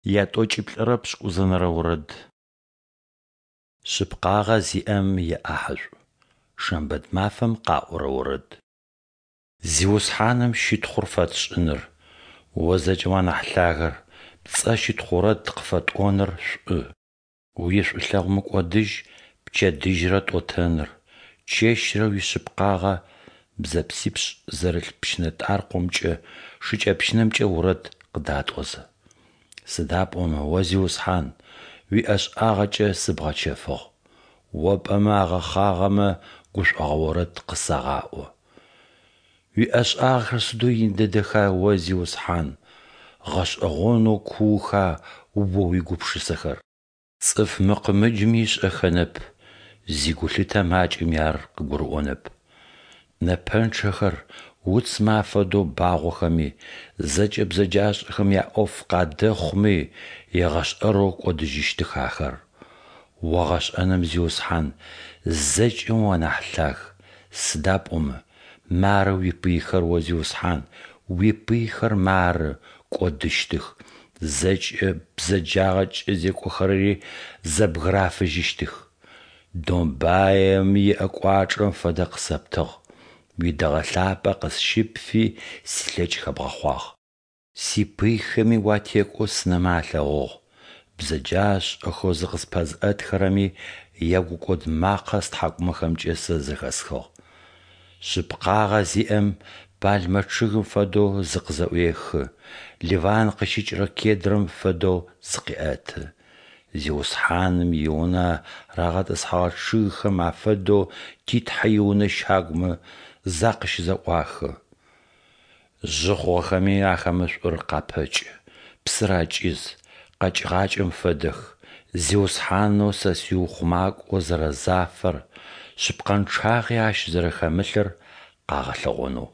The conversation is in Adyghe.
Ятӏокӏиплӏырэ пшӏыкӏузэнэрэ орэд. Шъыпкъагъэ зиӏэм иӏахьышӏу. Шэмбэт мафэм къаӏорэ орэд. Зиусхьаным щытхъур фэтшӏыныр, О Зэкӏэмэ анахь Лъагэр, пцӏэ щытхъу орэд къыфэтӏоныр шӏу. Уишӏулъэгъу мыкӏодыжь пчэдыжьрэ тӏотэныр, чэщрэ уишъыпкъагъэ бзэпсипшӏ зэрылъ пщынэтӏаркъомкӏэ, шыкӏэпщынэмкӏэ орэд къыдатӏозэ. Сыда пӏомэ О, Зиусхьан, уиӏэшӏагъэкӏэ сыбгъэчэфыгъ, О пӏэмэ агъэхъагъэмэ гушӏогъо орэд къысагъаӏо. Уиӏэшӏагъэхэр сыдэу ин дэдэха, О Зиусхьан, гъэшӏэгъонэу кууха О уигупшысэхэр! Цӏыф мыкъымыджыми ышӏэхэнэп, зигулъытэ макӏэми ар къыгурыӏонэп. Нэпэнчъэхэр уцмэ афэдэу багъохэми, зэкӏэ бзэджашӏэхэм яӏоф къадэхъуми, егъэшӏэрэу кӏодыжьыщтых ахэр. О гъэшӏэным, Зиусхьан, зэкӏэми уанахь лъаг, сыда пӏомэ мары уипыйхэр, О Зиусхьан, уипыйхэр мары, кӏодыщтых, зэкӏэ бзэджагъэкӏэ зекӏохэрэри зэбгырафыжьыщтых. Домбаем иӏэ кӏуачӏэм фэдэ къысэптыгъ, уидэгъэ лъапӏэ къысщыпфи, силъэкӏ хэбгъэхъуагъ. Сипыйхэми уатекӏоу сынэмэ алъэгъугъ, бзэджашӏэхэу зыкъыспэзыӏэтхэрэми ягукӏод макъэ стхьакӏумэхэмкӏэ сэ зэхэсхыгъ. Шъыпкъагъэ зиӏэм пальмэ чъыгым фэдэу зыкъызэӏуехы, Ливан къыщыкӏырэ кедрэм фэдэу зыкъеӏэты. Зиусхьаным и Унэ рагъэтӏысхьэгъэ чъыгхэм афэдэу ти Тхьэ и Унэ щагумэ закъыщызэӏуахы. Жъы хъугъэхэми ахэмэ шӏур къапэкӏы, псыр акӏиз, къэкӏыгъакӏэм фэдэх, Зиусхьанэу сэ сиухъумакӏо зэрэзафэр, шъыпкъэнчъагъи Ащ зэрэхэмылъыр къагъэлъэгъонэу.